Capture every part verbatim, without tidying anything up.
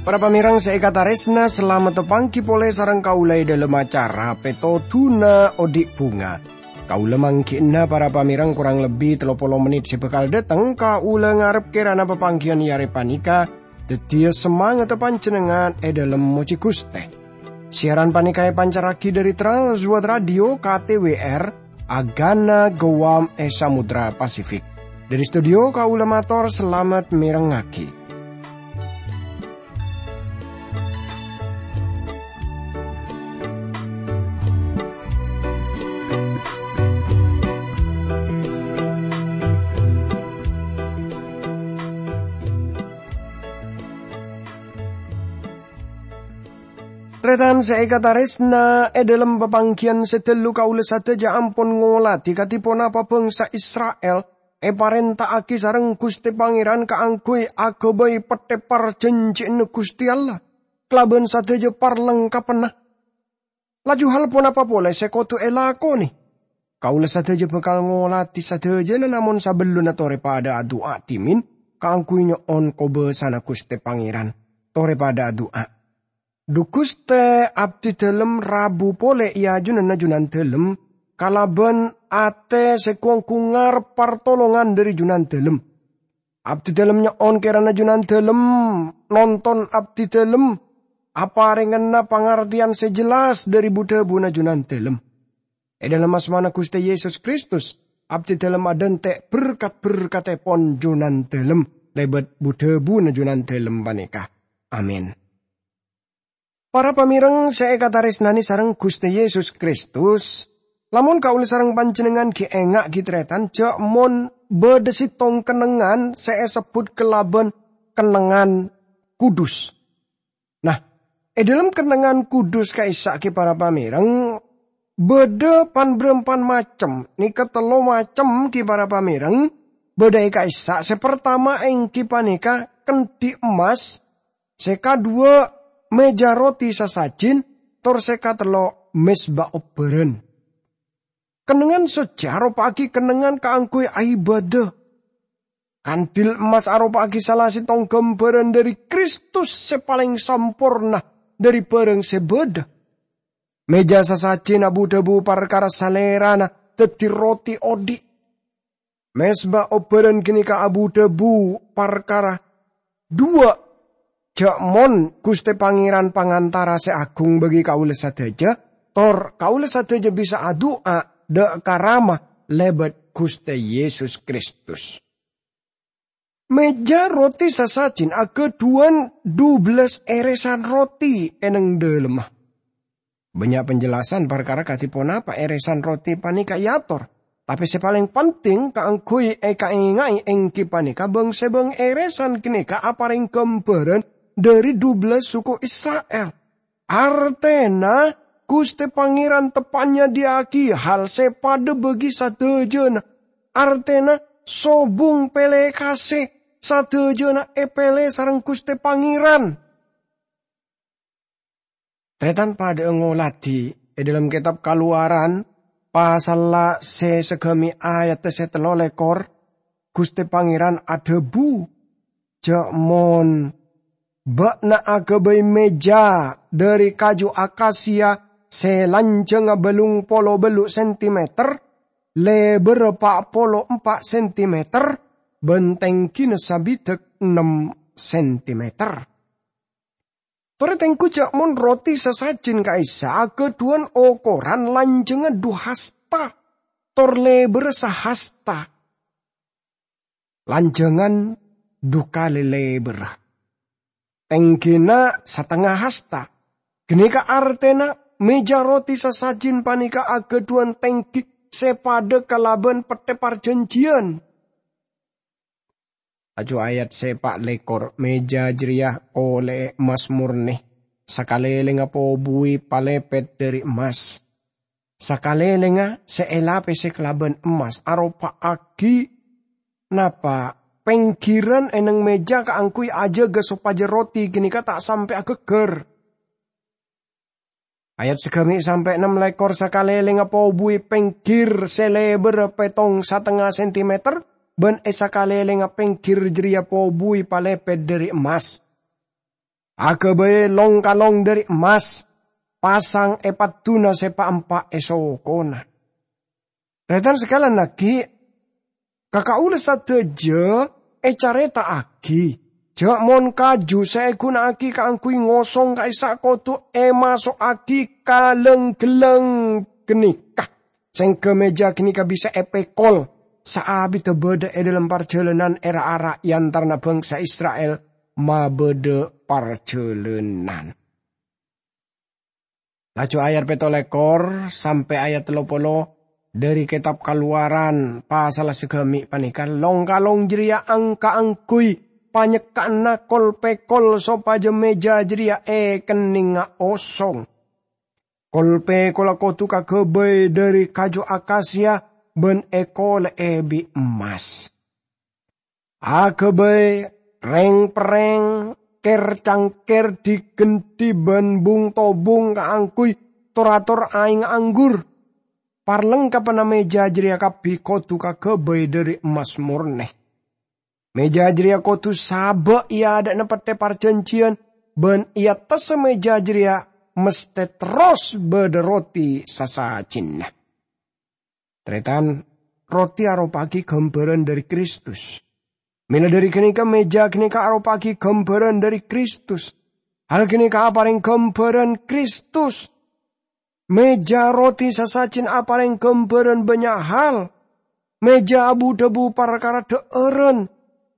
Para pamèrèng sè èkatarèsna, salamet panggi polè sareng kaulâ è dhâlem acara Pètodhuna Odi' Bhunga. Kaulâ mangghi'na para pamèrèng korang lebbi tello polo mennit sè bhâkal dâteng. Kaulâ ngarep kèrana papangghiyân è arè panèka dhâddhiyâ samangatta panjhennengngan è dhâlem mojhi Ghustè. Siaran panèka èpancarraghi dhâri Trans World Radio K T W R, Agana Guam è Samudra Pasifik. Dhâri studio kaulâ mator salamet mèrèngngaghi. Tarètan sè èkatarèsna, è dhâlem papangghiyân sè ghâllu kaulâ sadhâjâ ampon ngolatè kadhi ponapa bhângsa Isra'il èparènta'aghi sareng Ghustè Pangèran kaangghuy aghâbây pettè parjhânjhiyânna Ghustè Allah kalabân sadhâjâ parlengkapanna. Laju hal ponapa polè sè kodhu èlakonè? Kaulâ sadhâjâ bhâkal ngolatè sadhâjâna, namong sabellunna torè padâ adu'a dhimèn kaangghuy nyo'on kobâsana Ghustè Pangèran. Torè padâ adu'a. Dhu Ghustè, abdhidhâlem rabu polè è ajunanna Junandhâlem kalabân atè sè gu-ongghu ngarep partolongan dhâri Junandhâlem. Abdhidhâlem nyo'on kèrana Junandhâlem nonton abdhidhâlem, aparèngana pangartèyan sè jelas dhâri bu-dhâbuna Junandhâlem. È dhâlem asmana Ghustè Yesus Kristus, abdhidhâlem adhânte' berkat-berkattèpon Junandhâlem lèbât bu-dhâbuna Junandhâlem panèka. Amin. Para pamèrèng sè èkatarèsnanè sareng Ghustè Yesus Kristus, lamon kaulâ sareng panjhennengngan ghi' enga' ghi' tarètan jâ' mon bâdâ sèttong kennengngan sè èsebbhut kalabân kennengngan kudus. Nah, è dhâlem kennengngan kudus ka'issa' ghi' para pamèrèng, bâdâ pan-bârâmpan macem, nèka tello macem ghi' para pamèrèng, bâdâ è ka'issa'. Sè partama èngghi panèka kendhi emmas, sè kaduwâ' mèja roti sasajin, tor sè katello' mezba obbhârân. Kennengngan socce aropa'aghi kennengngan kaangghuy aibâdâ. Kandil emmas aropa'aghi sala sèttong ghâmbhârân dhâri Kristus sè palèng samporna dhâri bhârâng sè bâdâ. Mèja sasajin abu-dhâbu parkara Salèrana dhâddhi roti odi'. Mezba obbhârân ghânèka abu-dhâbu parkara dhuwâ', jâ' mon Ghustè Pangèran Pangantara sè aghung bagi kaulâ sadhâjâ, tor kaulâ sadhâjâ bisa adu'a dâ' ka Rama lèbât Ghustè Yesus Kristus. Mèja roti sasajin aghâdhuwân dubellâs èrèsan roti è neng dhâlemma. Bânnya' penjelasan parkara kadhi ponapa èrèsan roti panèka èator, tapè sè palèng penting kaangghuy èkaènga'è èngghi panèka bâng-sèbâng èrèsan ghânèka aparèng ghâmbhârân dhâri dubellâs suku Isra'il. Artèna, Ghustè Pangèran teppa'na nyadhiyâ'aghi hal sè padâ bagi sadhâjâna. Artèna, sobung pèlè kasè sadhâjâna èpèlè sareng Ghustè Pangèran. Tarètan padâ'â ngolatè è dhâlem kètab Kalowaran, pasalla sè saghâmè' ayatta sè tello lèkor, Ghustè Pangèran adhâbu, "Jâ' mon bâ'na aghâbây mèja dhâri kaju akasia sè lanjhângnga bâllung polo bâllu' sentimeter, lèbârra pa' polo empa' sentimeter, bân tèngghina sabidhâk ennem sentimeter." Torè tèngghu jâ' mon roti sasajin ka'issa' aghâdhuwân okoran lanjhângnga dhu hasta, tor lèbârra sahasta. Lanjhângan dhu kalè lèbârra. Tèngghina satengnga hasta. Ghânèka artèna mèja roti sasajin panèka aghâdhuwân tèngghi sè padâ kalabân Pettè Parjhânjhiyân. Laju ayat sè pa' lèkor, mèja jârèya kolè'è emmas mornè, sakalèlèngnga pobuwi palèpèt dhâri emmas. Sakalèlèngnga sè èlapèsè kalabân emmas aropa'aghi napa pèngghirân è neng mèja kaangghuy ajâgâ sopajâ roti ghânèka ta' sampè' aghâggâr. Ayat sagami' sampè' ennem lèkor. Sakalèlèngnga pobuwi pèngghir sè lèbârrâ pètong satengnga sentimeter, bân è sakalèlèngnga pèngghir jârèya pobuwi palepet dhâri emmas. Aghâbây long-kalong dhâri emmas, pasang è padduna sè pa'-empa' è sokona. Tarètan sakalèn aghi', ka kaulâ sadhâjâ ècarèta'aghi jâ' mon kaju sè èghuna'aghi kaangghuy ngosong ka'issa' kodhu èmaso'aghi ka lèng-ghellèng ghânèka, sèngghâ mèja ghânèka bisa èpèkol saabiddhâ bâdâ è dhâlem parjhâlânan è ra-ara è antarana bhângsa Isra'il mabâdâ parjhâlânan. Laju ayat pètto lèkor sampè' ayat tello polo dhâri Kètab Kalowaran pasalla sagami' panèka, long-kalong jârèya ang-kaangghuy panyekka'anna kol-pèkol sopajâ mèja jârèya èkennèngnga osong. Kol-pèkolla kodhu kaghâbây dhâri kaju akasia bân èkolè'è bi' emmas. Aghâbây rèng-perrèng, kèr-cangkèr, dhi-ghândhi bân bung-tobung kaangghuy tor-ator aèngnga anggur. Parlengkabhânna mèja jârèya kabbhi kodhu kaghâbây dhâri emmas mornè. Mèja jârèya kodhu sabâ' è adâ'na Pettè Parjhânjhiyân, bân è attassa mèja jârèya mesthè terros bâdâ roti sasajinna. Tarètan, roti aropa'aghi ghâmbhârân dhâri Kristus. Mèla dhâri ghânèka, mèja ghânèka aropa'aghi ghâmbhârân dhâri Kristus. Hal ghânèka aparèng ghâmbhârân Kristus. Mèja roti sasajin aparèng ghâmbhârân bânnya' hal. Mèja abu-dhâbu parkara dhâ'ârân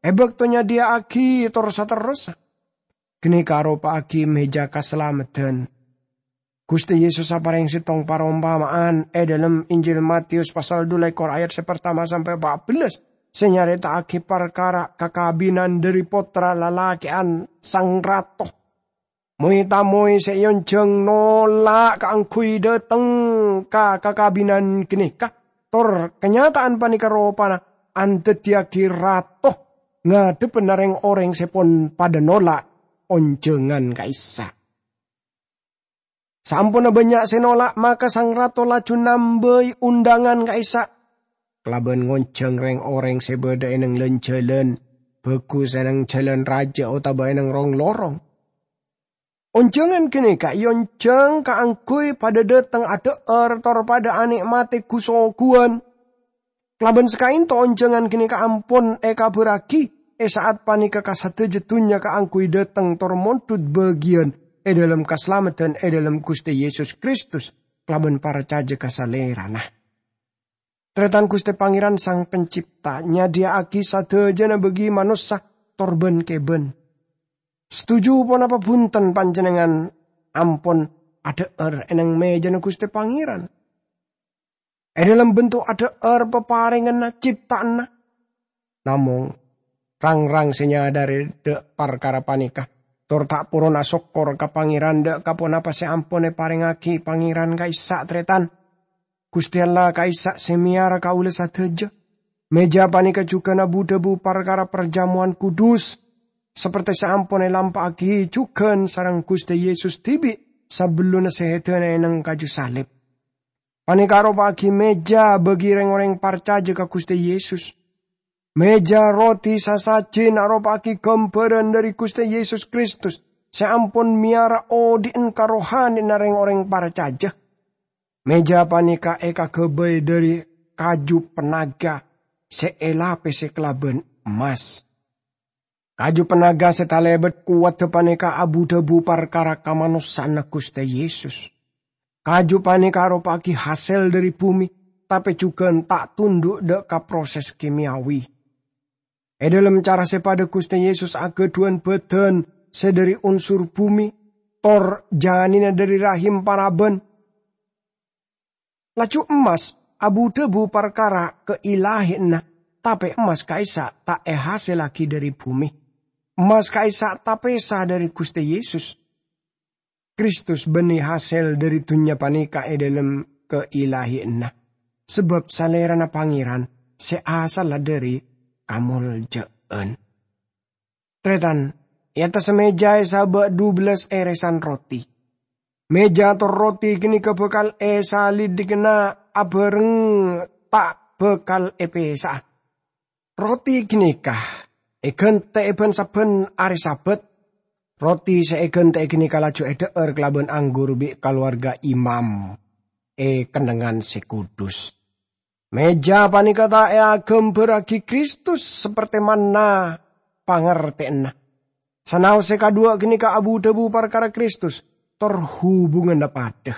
è bâkto nyadhiyâ'aghi tor saterrossa. Ghânèka aropa'aghi mèja kasalameddhân. Ghustè Yesus aparèng sèttong parompama'an è dhâlem Injil Mateyus pasal dhu lèkor ayat sè partama sampè' pa' bellâs, sè nyarèta'aghi parkara kakabinan dhâri pottra lalakè'an sang rato. Moy-tamoy sè èonjhâng nola' kaangghuy dhâteng ka kakabinan ghânèka, tor kanyata'an panèka ropana andhâddhiyâghi rato ngadhebbhâna rèng-orèng sè pon padâ nola' onjhângan ka'issa'. Saamponna bânnya' sè nola', maka sang rato laju nambâi ondhângan ka'issa', kalabân ngonjhâng rèng-orèng sè bâdâ è neng-, lan-jhâlân, bhâghus è neng jhâlân rajâ otabâ è neng rong-lorong. Onjhângan ghânèka èonjhâng kaangghuy padâ dhâteng adhâ'âr tor padâ anè'matè ghu-soghugân. Kalabân sakaènto onjhângan ghânèka ampon èkabhârraghi è sa'at panèka ka sadhâjâ dhunnya kaangghuy dhâteng tor mondhut bâgiyân è dhâlem kasalameddhân è dhâlem Ghustè Yesus Kristus kalabân parcajâ ka Salèrana. Tarètan, Ghustè Pangèran Sang Pencipta nyadhiyâ'aghi sadhâjâna bâgi manossa tor bân-kèbân. Satoju ponapa bhunten panjhennengngan ampon adhâ'âr è neng mèjana Ghustè Pangèran? È dhâlem bentuk adhâ'âr paparènganna cipta'anna. Namong, rang-rang sè nyadhâri dhâ' parkara panèka, tor ta' poron asokkor ka Pangèran dhâ' ka ponapa sè ampon èparèngaghi Pangèran ka'issa', tarètan. Ghustè Allah ka'issa' sè mèyara kaulâ sadhâjâ. Mèja panèka jhughân abu-dhâbu parkara parjammowan kudus, saperte sè ampon èlampa'aghi jhughân sareng Ghustè Yesus dhibi' sabellunna sèdhâna è neng kaju salib. Panèka aropa'aghi mèja bâgi rèng-orèng parcajâ ka Ghustè Yesus. Mèja roti sasajin aropa'aghi ghâmbhârân dhâri Ghustè Yesus Kristus sè ampon mèyara odhi'en ka rohanèna rèng-orèng parcajâ. Mèja panèka èkaghâbây dhâri kaju pannaga sè èlapèsè kalabân emmas. Kaju pannaga sè talèbât kowaddhâ panèka abu-dhâbu parkara kamanossa'anna Ghustè Yesus. Kaju panèka aropa'aghi hasèl dhâri bhumè, tapè jhughân ta' tondhu' dhâ' ka proses kimiawi. È dhâlem cara sè padâ Ghustè Yesus aghâdhuwân bhâdhân sè dhâri unsur bhumè, tor janina dhâri rahim paraban. Laju emmas abu-dhâbu parkara kailahiyanna, tapè emmas ka'issa' ta' èhasèllaghi dhâri bhumè. Emmas ka'issa' tapèsa dhâri Ghustè Yesus. Kristus bânnè hasèl dhâri dhunnya panèka è dhâlem kailahiyanna, sabâb Salèrana Pangèran sè asalla dhâri kamoljâ'ân. Tarètan, è attassa mèja èsabâ' dubellâs èrèsan roti. Meja tor roti ganeka bakal esalidhigana abareng ta' bakal epesa'a. Roti ganeka egantè'è bân sabbhân arè Sabat. Roti sè egantè'è ganeka laju edhâ'âr kalabân anggur bi' kalowarga imam è kennengngan sè kudus. Meja panèka ta' èagambhârraghi Kristus sapertè manna pangartèyanna. Sanaos sè kadhuwâ' ganeka abu-dhâbu parkara Kristus, tor hubunganna padhâ.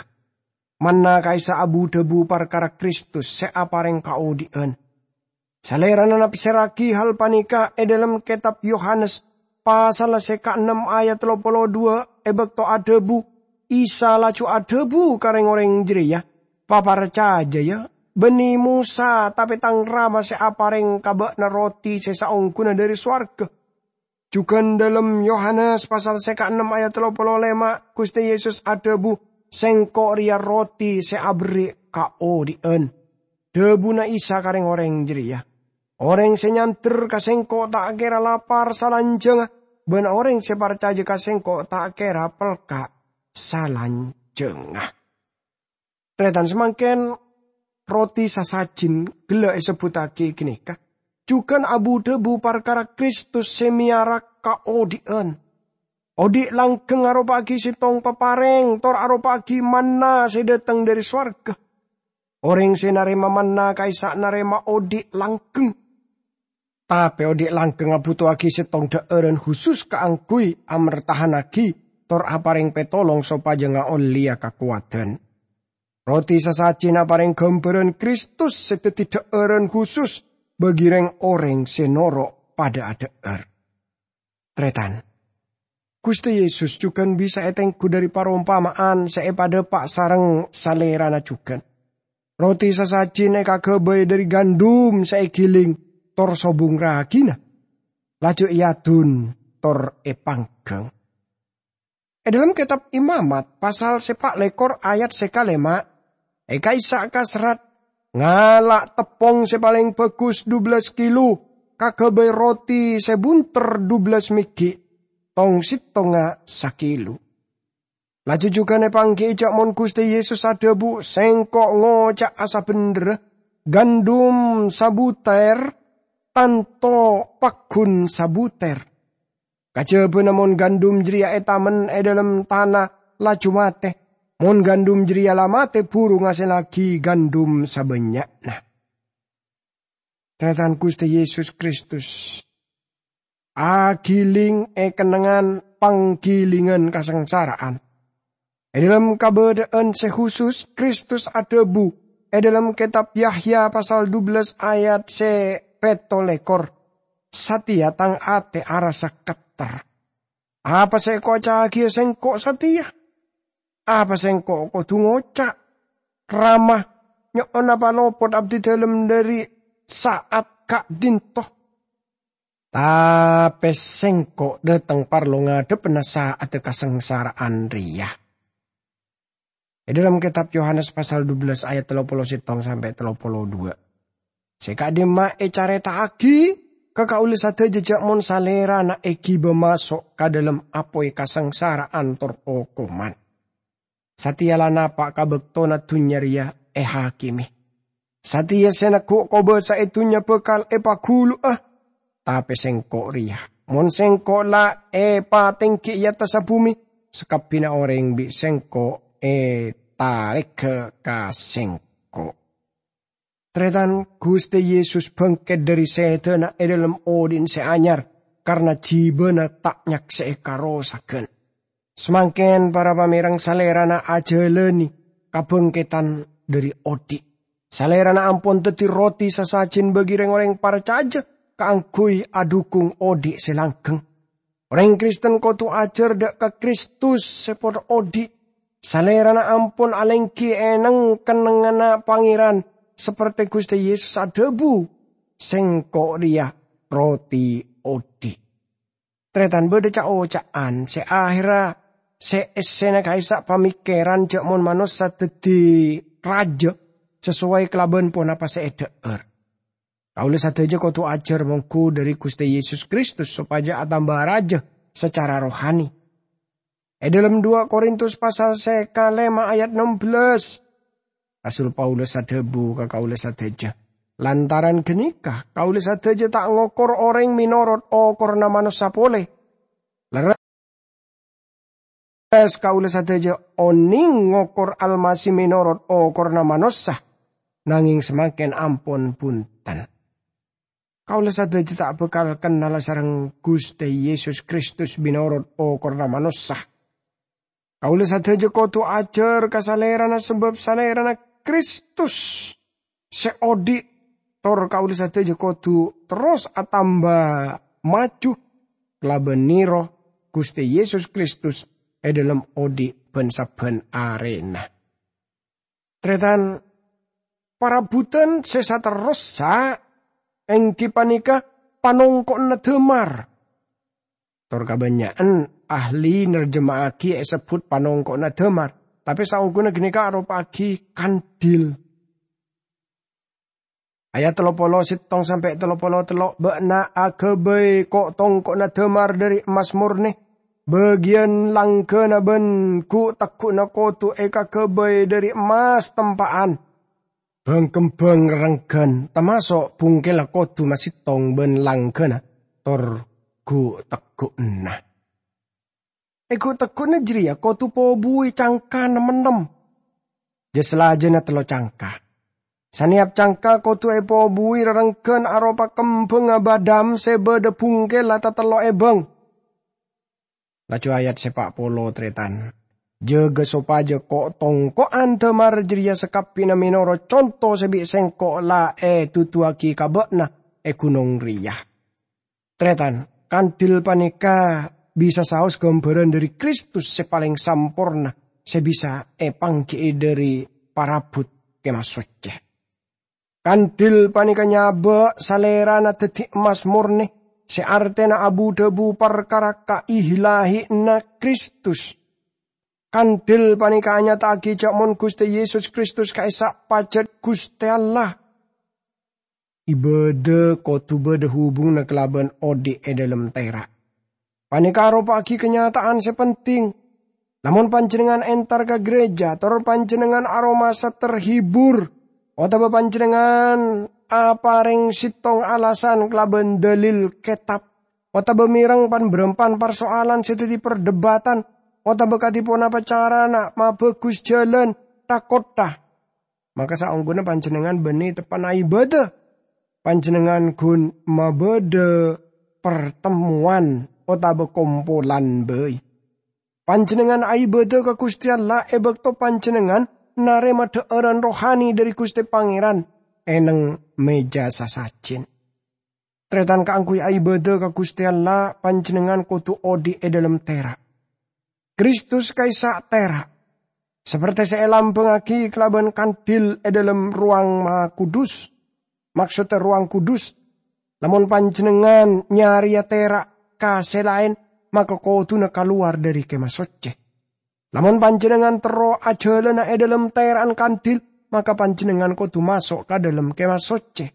Manna ka'issa' abu-dhâbu parkara Kristus sè aparèng kaodhi'ân. Salèrana nafsèrraghi hal panèka è dhâlem Kètab Yohanes, pasal sè kaennem ayat tello polo dhuwâ', è bâkto adhâbu, Isa laju adhâbu ka rèng-orèng jârèya, "Paparcajâ, yâ, bânnè Mosa, tapè Tang Rama sè aparèng ka bâ'na roti sè saongghuna dhâri sowarga." Jhughân dhâlem Yohanes pasal sè kaennem ayat tello polo lèma', Ghustè Yesus adhâbu, "Sèngko' rèya roti sè aberri' kaodhi'ân." Dhâbuna Isa ka rèng-orèng jârèya, "Orèng sè nyandher ka Sèngko' ta' kèra lapar salanjhângnga, bân orèng sè parcajâ ka Sèngko' ta' kèra pelka' salanjhângnga." Tarètan samangkèn, roti sasajin ghellâ' èsebbhuttaghi ghânèka jhughân abu-dhâbu parkara Kristus sè mèyara kaodhi'ân. Odhi' langghâng aropa'aghi sèttong paparèng, tor aropa'aghi manna sè dhâteng dhâri sowarga. Orèng sè narèma manna ka'issa' narèma odhi' langghâng. Tapè odhi' langghâng abhuto'aghi sèttong dhâ'ârân husus kaangghuy amertahannaghi tor aparèng pètolong sopajâ ngaollèya kakowadhân. Roti sasajin aparèng ghâmbhârân Kristus sè dhâddhi dhâ'ârân husus bagi rèng-orèng sè noro' padâ adhâ'âr. Tarètan, Ghustè Yesus jhughân bisa ètengghu dhâri parompama'an sè èpadhâpa' sareng Salèrana jhughân. Roti sasajin èkaghâbây dhâri gandum sè èghiling tor sobung ragina, laju èadun tor èpangghâng. È dhâlem Kètab Imamat, pasal sè pa' lèkor ayat sè kalèma', è ka'issa' kaserrat, "Ngala' teppong sè palèng bhâghus dubellâs kilo, kaghâbây roti sè bhunter dubellâs mèghi', tong-sèttongnga sakilo." Laju jhughân èpanggi'i jhâ' mon Ghustè Yesus adhâbu, "Sèngko' ngoca'a sabhendherra, gandum sabutèr tanto paggun sabutèr." Kajhâbhâna mon gandum jârèya ètamen è dhâlem tana laju matè. Mon gandum jârèya la matè, buru ngasèllaghi gandum sabânnya'na. Tarètan, Ghustè Yesus Kristus agiling è kennengngan panggilingan kasangsara'an. È dhâlem kabâdâ'ân sè husus, Kristus adhâbu è dhâlem Kètab Yahya pasal dubellâs ayat sè pètto lèkor, "Satèya tang atè arassa ketter. Apa sè èkoca'aghiyâ Sèngko' satèya? Apa Sèngko' kodhu ngoca', 'Rama, nyo'ona palopot abdhi dhâlem dhâri sa'at ka'dinto''? Tapè Sèngko' dhâteng parlo ngadhebbhâna sa'adda kasangsara'an rèya." È dhâlem Kètab Yohanes pasal dubellâs ayat tello polo sèttong sampè' tello polo dhuwâ'. Sè ka'dimma ècarèta'aghi ka kaulâ sadhâjâ jhâ' mon Salèrana èghibâ maso' ka dhâlem apoy kasangsara'an tor okoman. Satèya la napa' ka bâktona dhunnya rèya èhakimi. Satèya sè neggu' kobâsa è dhunnya bhâkal èpaghulu'a. Tapè Sèngko' rèya, mon Sèngko' la èpatèngghi è attassa bhumè, sakabbhiyânna orèng bi' Sèngko' ètarègghâ ka Sèngko'. Tarètan, Ghustè Yesus bângkèt dhâri sèdhâna è dhâlem odhi'na sè anyar, karna jhibâna ta' nyaksè'è karosaghân. Samangkèn para pamèreng Salèrana ajhâlânè kabângkèdhân dhâri odhi'. Salèrana ampon dhâddhi roti sasajin bagi rèng-orèng parcajâ kaangghuy adhukung odhi' sè langghâng. Orèng Kristen kodhu ajhâr dhâ' ka Kristus sè padâ odhi'. Salèrana ampon alèngghi è neng-kennengnganna Pangèran, sapertè Ghustè Yesus adhâbu, "Sèngko' rèya roti odhi'." Tarètan, bâdâ ca'-oca'an sè ahèrra sè èssèna ka'issa' pamèkkèran jhâ' mon manossa dhâddhi rajâ sasoway kalabân ponapa sè èdhâ'âr. Kaulâ sadhâjâ kodhu ajhâr mongghu dhâri Ghustè Yesus Kristus sopajâ atamba rajâ sacara rohani. È dhâlem dua Korintus pasal sè kalèma ayat ennem belas, Rasul Paulus adhâbu ka kaulâ sadhâjâ, "Lantaran ghânèka, kaulâ sadhâjâ ta' ngokor orèng mènorot okoranna manossa polè. Lerres, kaulâ sadhâjâ onèng ngokor Almasih mènorot okoranna manossa, nangèng samangkèn ampon bhunten. Kaulâ sadhâjâ ta' bhâkal kennal sareng Ghustè Yesus Kristus mènorot okoranna manossa. Kaulâ sadhâjâ kodhu ajhâr ka Salèrana, sabâb Salèrana Kristus sè odi', tor kaulâ sadhâjâ kodhu terros atamba maju kalabân nèro Ghustè Yesus Kristus è dhâlem odi' bân-sabbhân arèna." Tarètan, parabhutan sè saterrossa èngghi panèka panongko'na dhâmar. Tor kabânnya'an ahli nerjema'aghi èsebbhut panongko'na dhâmar, tapè saongghuna ghânèka aropa'aghi kandil. Ayat tello polo settong sampè' tello polo tello', "Bâ'na aghâbây ko'-tongko'na dhâmar dhâri emmas mornè, bâgiyân langghâna bân ghu'-tegghu'na kodhu èkaghâbây dhâri emmas tempa'an. Bhâng-kembhâng rerengghân, tamaso' bungkella kodhu masettong bân langghâna tor ghu'-tegghu'na." È ghu'-tegghu'na jârèya kodhu pobuwi cangka nem-ennem, jâ-salajâna tello cangka. Sanèyap cangka kodhu èpobuwi rerengghân aropa kembhângnga bâdâm sè bâdâ bungkella tatello' è bâng. Laju ayat sè pa' polo, tarètan, "Jâgâ sopajâ ko'-tongko'an dhâmar jârèya sakabbhina mènorot conto sè bi' sèngko' la èduduwaghi ka bâ'na è ghunong rèya." Tarètan, kandil panèka bisa saos ghâmbhârân dhâri Kristus sè palèng samporna, sè bisa èpangghi'i dhâri parabhut Kèma Soccè. Kandil panèka nyabâ' Salèrana dhâddhi emmas mornè, sè artèna abu-dhâbu parkara kahi-lahiyanna Kristus. Kandil panèka anyata'aghi jâ' mon Ghustè Yesus Kristus ka'issa' pajhât Ghustè Allah. Ibâdâ kodhu bâdâ hubunganna kalabân odi' è dhâlem tèra'. Panèka aropa'aghi kanyata'an sè penting. Lamon panjhennengngan entar ka gereja, tor panjhennengngan aromasa terhibur, otabâ panjhennengngan aparèng settong alasan kalabân dalil Kètab, otabâ mèreng pan-bârâmpan parsoalan sè dhâddhi perdebatan, otabâ kadhi ponapa carana mabhâghus jhâlân, ta-kottha, maka saongghuna panjhennengngan bânnè teppa'na aibâdâ. Panjhennengngan ghun mabâdâ partemmowan otabâ kompolan bhâi. Panjhennengngan aibâdâ ka Ghustè Allah è bâkto panjhennengngan narèma dhâ'âran rohani dhâri Ghustè Pangèran è neng mèja sasajin. Tarètan, kaangghuy aibâdâ ka Ghustè Allah, panjhennengngan kodhu odi' è dhâlem tèra'. Kristus ka'issa' tèra', saperte sè èlambhângaghi kalabân kandil è dhâlem Rowang Mahakudus, maksodda Rowang Kudus. Lamon panjhennengngan nyarèya tèra' ka sè laèn, maka kodhuna kalowar dhâri Kèma Soccè. Lamon panjhennengngan terro ajhâlâna è dhâlem tèra'an kandil, maka panjhennengngan kodhu maso' ka dhâlem Kèma Soccè.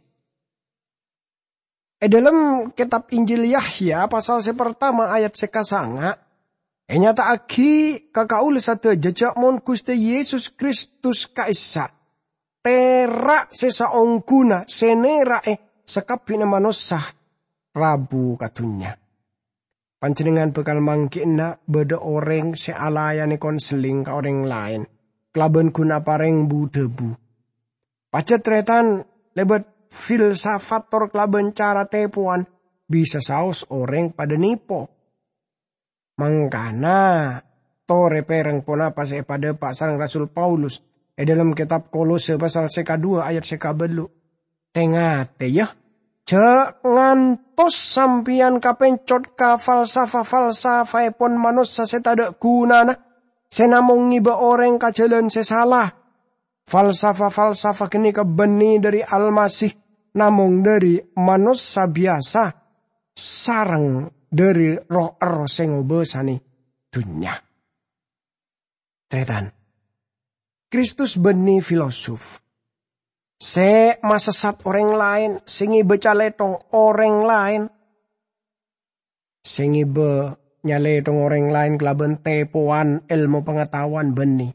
È dhâlem Kètab Injil Yahya, pasal sè partama, ayat sè kasanga', ènyata'aghi ka kaulâ sadhâjâ jâ' mon Ghustè Yesus Kristus ka'issa' tèra' sè saongghuna sè nèra'è sakabbhina manossa rabu ka dhunnya. Panjhennengngan bhâkal mangghi'na bâdâ orèng sè alayanè konseling ka orèng laèn kalabân ghun aparèng bu-dhâbu. Pajhât tarètan, lèbât filsafat tor kalabân cara tèpowan bisa saos orèng padâ nèpo. Mangkana, torè pèrèng ponapa sè èpadhâpa' sareng Rasul Paulus è dhâlem Kètab Kolose pasal sè kaduwâ ayat sè kabâllu'. Tè-ngatè, yâ, jâ' ngantos sampèyan kapèncot ka falsafa-falsafaèpon manossa sè tadâ' ghunana, sè namong ngèbâ orèng ka jhâlân sè sala. Falsafa-falsafa ghânèka bânnè dhâri Almasih, namong dhâri manossa biyasa, sareng dhâri roh-erroh sè ngobâsanè dhunnya. Tarètan, Kristus bânnè filosof sè masessat orèng laèn, sè ngèbâ calèthong orèng laèn, sè ngèbâ nyalèthong orèng laèn kalabân tèpowan èlmo pangataowan bânnè.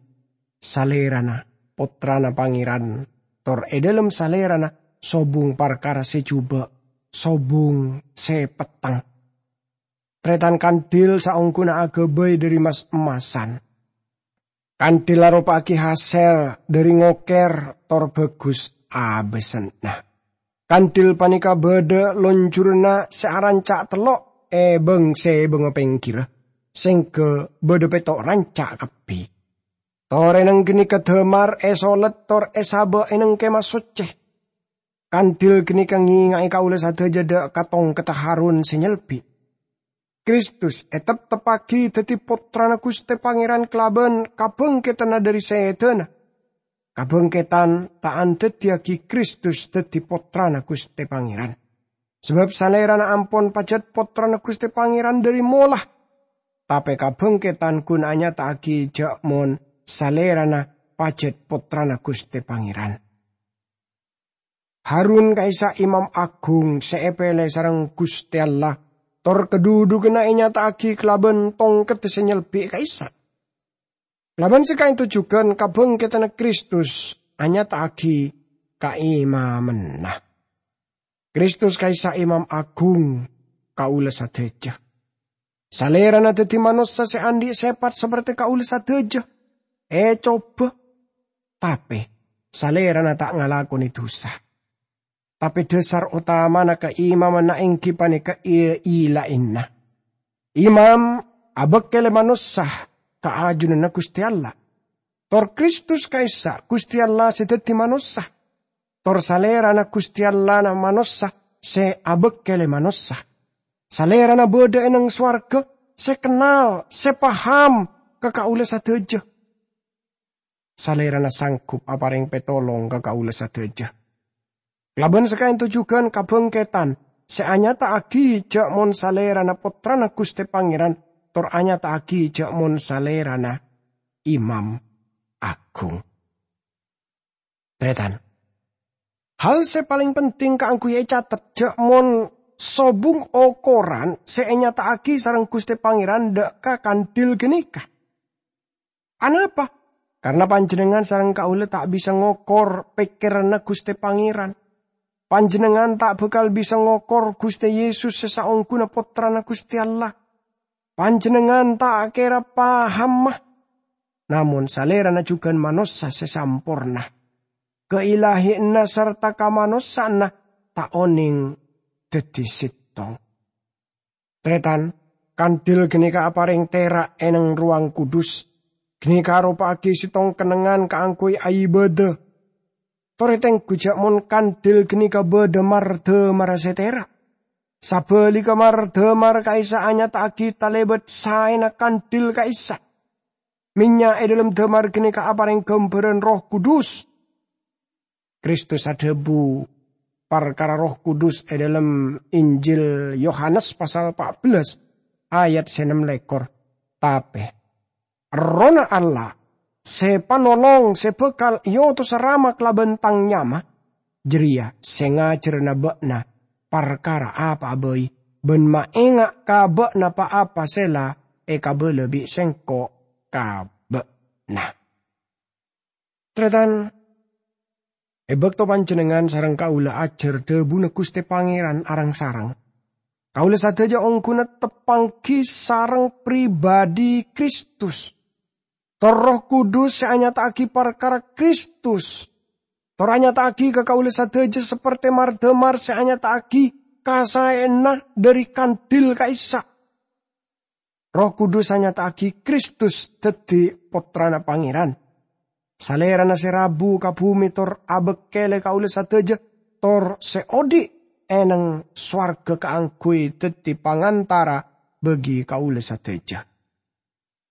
Salèrana Pottrana Pangèran, tor è dhâlem Salèrana sobung parkara sè jhubâ', sobung sè petteng. Tarètan, kandhil saongghuna aghâbây dhâri mas-emmasan. Kandhil aropa'aghi hasèl dhâri ngokèr tor bhâghus abâsanna. Kandhil panèka bâdâ lonjuranna sè aranca' tello' è bâng-sèbângnga pèngghirra, sèngghâ bâdâ pètto' ranca' kabbhi. Torèna ghânèka dâmar èsolèt tor èsabâ' è nèng Kèma Soccè. Kandhil ghânèka ngènga'è kaulâ sadhâjâ dâ' ka tongkedda Harun sè nyelbi'. Kristus ètepteppaghi dhâddhi Pottrana Ghustè Pangèran kalabân kabhângkèdhânna dhâri sèdhâna. Kabhângkèdhân ta' andhâddhiyâghi Kristus dhâddhi Pottrana Ghustè Pangèran. Sabâb Salèrana ampon pajhât Pottrana Ghustè Pangèran dhâri mola, tapè kabhângkèdhân ghun anyata'aghi jhâ' mon Salèrana pajhât Pottrana Ghustè Pangèran. Harun ka'issa' imam aghung sè èpèlè sareng Ghustè Allah, tor kadhudhughânna ènyata'aghi kalabân tongkedda sè nyelbi' ka'issa'. Kalabân sè ka'ènto jhughân kabhângkèdhânna Kristus anyata'aghi kaimammanna. Kristus ka'issa' imam aghung kaulâ sadhâjâ. Salèrana dhâddhi manossa sè andi' sèpat saperte kaulâ sadhâjâ, ècobâ, tapè Salèrana ta' ngalakonè dhusa. Tapè dhâsar otamana kaimammanna èngghi panèka è-, èlaènna. Imam abâkkèlè manossa ka ajunanna Ghustè Allah. Tor Kristus ka'issa' Ghustè Allah sè dhâddhi manossa. Tor Salèrana Ghustè Allahna manossa sè abâkkèlè manossa. Salèrana bâdâ è nèng sowarghâ, sè kennal, sè paham ka kaulâ sadhâjâ. Salèrana sanggup aparèng pètolong ka kaulâ sadhâjâ. Kalabân sè ka'ènto jhughân kabhângkèdhân sè anyata'aghi jhâ' mon Salèrana Pottrana Ghustè Pangèran, tor anyata'aghi jhâ' mon Salèrana Imam Aghung. Tarètan. Hal sè palèng penting kaangghuy ècatet jhâ' mon sobung okoran sè ènyata'aghi sareng Ghustè Pangèran dâ' ka kandhil ghânèka. Anapa? Karna panjhennengngan sareng kaulâ ta' bisa ngokor pèkkèranna Ghustè Pangèran. Panjhennengngan ta' bhâkal bisa ngokor Ghustè Yesus sè saongghuna Pottrana Ghustè Allah. Panjhennengngan ta' kèra pahamma, namong Salèrana jhughân manossa sè samporna. Kailahiyanna sarta kamanossa'anna ta' onèng dhâddhi sèttong. Tarètan, kandhil ghânèka aparèng tèra' è nèng Rowang Kudus. Ghânèka aropa'aghi sèttong kennengngan kaangghuy aibâdâ. Torè tengghu jhâ' mon kandhil ghânèka bâdâ mar-dâmarra sè tèra'. Sabhâligghâ, mar-dâmar ka'issa' anyata'aghi talèbât saèna kandhil ka'issa'. Mènnya' è dhâlem dâmar ghânèka aparèng ghâmbhârân Erroh Kudus. Kristus adhâbu parkara Erroh Kudus è dhâlem Injil Yohanes pasal pa' bellâs ayat sè ennem lèkor. Tapè Errohna Allah, sè Panolong sè bhâkal èotosa Rama kalabân Tang nyama, jârèya sè ngajhârâna bâ'na parkara apa'a bhâi, bân maènga' ka bâ'na pa-apa sè la èkabâlâ bi' Sèngko' ka bâ'na. Tarètan, è bâkto panjhennengngan sareng kaulâ ajhâr dhâbuna Ghustè Pangèran areng-sareng, kaulâ sadhâjâ ongghuna teppangghi sareng pribadhi Kristus. Tor Erroh Kudus sè anyata'aghi parkara Kristus, tor anyata'aghi ka kaulâ sadhâjâ saperte mar-dâmar sè anyata'aghi kasaèyanna dhâri kandhil ka'issa'. Erroh Kudus anyata'aghi Kristus dhâddhi Pottrana Pangèran. Salèrana sè rabu ka bhumè tor abâkkèlè kaulâ sadhâjâ, tor sè odi' è nèng sowarghâ kaangghuy dhâddhi pangantara bagi kaulâ sadhâjâ.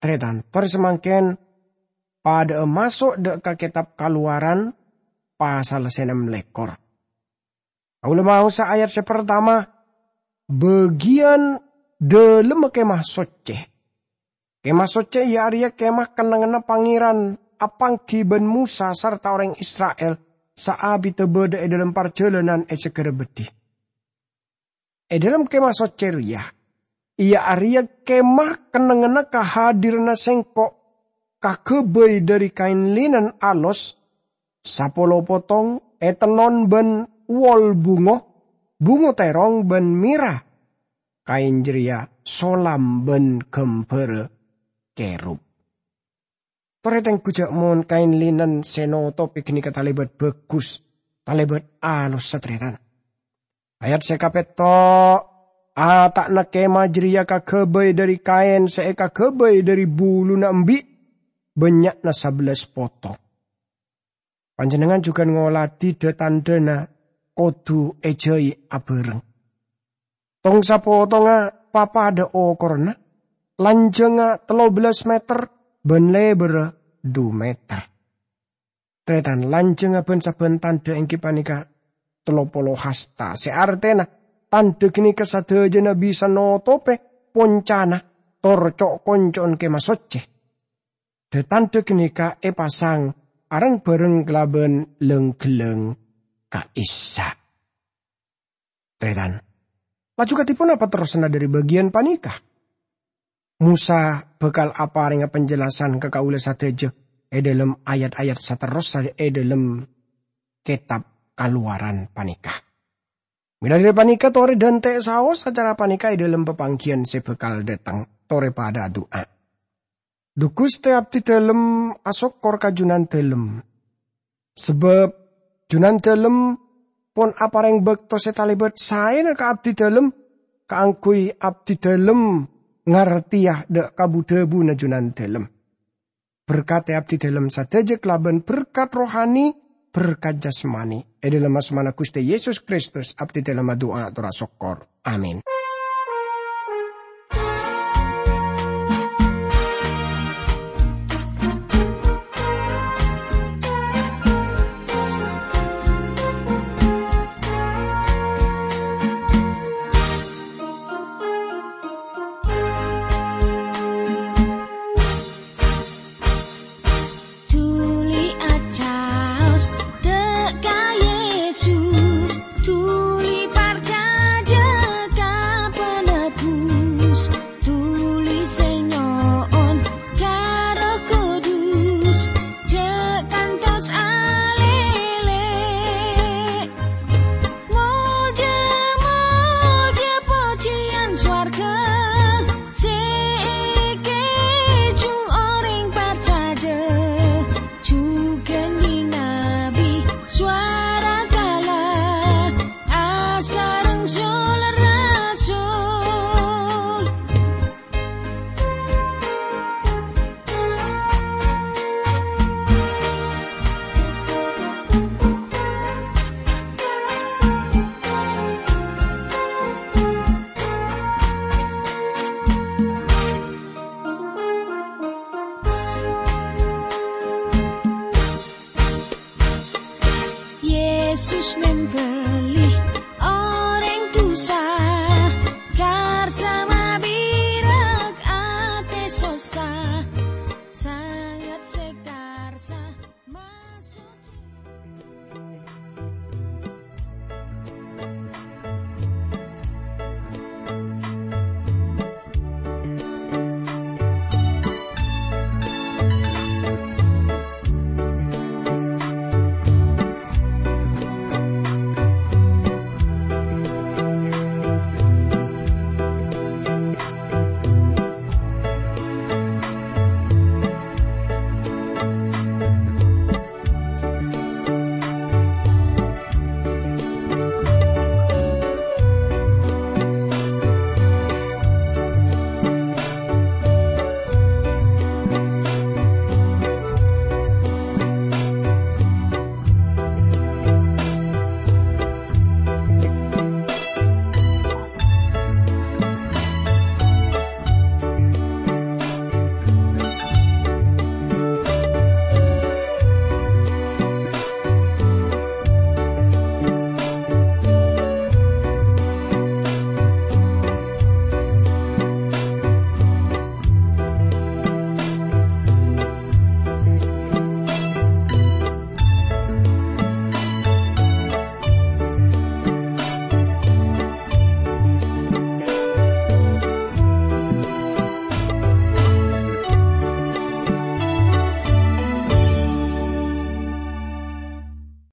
Tarètan, tor samangkèn padhâ'â maso' dâ' ka Kètab Kalowaran pasal sè ennem lèkor. Kaulâ maosa ayat sè partama, bâgiyân dhâlemma Kèma Soccè. Kèma Soccè iyâ arèya kèma kennengnganna Pangèran apangghi bân Mosa sarta orèng Isra'il saabiddhâ bâdâ è dhâlem parjhâlânan è Saghârâ Beddhi. È dhâlem Kèma Soccè rèya, Iyâ arèya kemah kennengnganna kahadiranna Sèngko' kaghâbây dhâri kaèn linen alos, sapolo potong, ètennon bân wol bungo, bungo tèrong bân mèra. Kaèn jârèya solam bân ghâmbhârâ kerub. Torè tengghu jhâ' mon kaèn linen sè notobhi ghânèka talèbât bhâghus, talèbât alos, satarètan. Ayat sè kapètto', ata'na kemah jârèya kaghâbây dhâri kaèn sè èkaghâbây dhâri buluna embi', bânnya'na sabellâs potong. Panjhennengngan jhughân ngolatè dha-tandhâna kodhu èjhâi abhâreng. Tong-sapotongnga papadâ okoranna, lanjhângnga tello bellâs meter bân lèbârrâ dhu meter. Tarètan, lanjhângnga bân-sabbhân tandhâ èngghi panèka tello polo hasta, sè artèna tandhâ ghânèka sadhâjâna bisa notobhi poncana tor co'-konco'en Kemah Soccè. Dha-tandhâ ghânèka èpasang areng-bhâreng kalabân lang-ghellâng ka'issa'. Tarètan, laju kadhi ponapa terrosanna dhâri bâgiyân panèka? Mosa bhâkal aparènga panjelasan ka kaulâ sadhâjâ è dhâlem ayat-ayat saterrossa è dhâlem kètab Kalowaran panèka. Mèla dhâri panèka, torè dhânte' saos acara panèka è dhâlem papangghiyân sè bhâkal dâteng. Torè padâ adu'a. Dhu Ghustè, abdhidhâlem asokkor ka Jhunandhâlem. Sabâb Jhunandhâlem pon aparèng bâkto sè talèbât saèna ka abdhidhâlem, kaangghuy abdhidhâlem ngartèya dha'-, kabu-dhâbuna Jhunandhâlem. Berkatè abdhidhâlem sadhâjâ kalabân berkat rohani, berkat jasmani. È dhâlem asmana Ghustè Yesus Kristus, abdhidhâlem adu'a ator asokkor. Amin. Dhuli acaos dha' ka Yesus, dhuli parcajâ ka Penebus, dhuli sè nyo'on ka Erroh Kudus, jhâ' kantos alèlè. Molja, molja, pojhiyân sowarghâ sè èkèjhung orèng parcajâ. Jhughân nyinabi sowara kala asareng sol-rasul. Yesus nèmbâ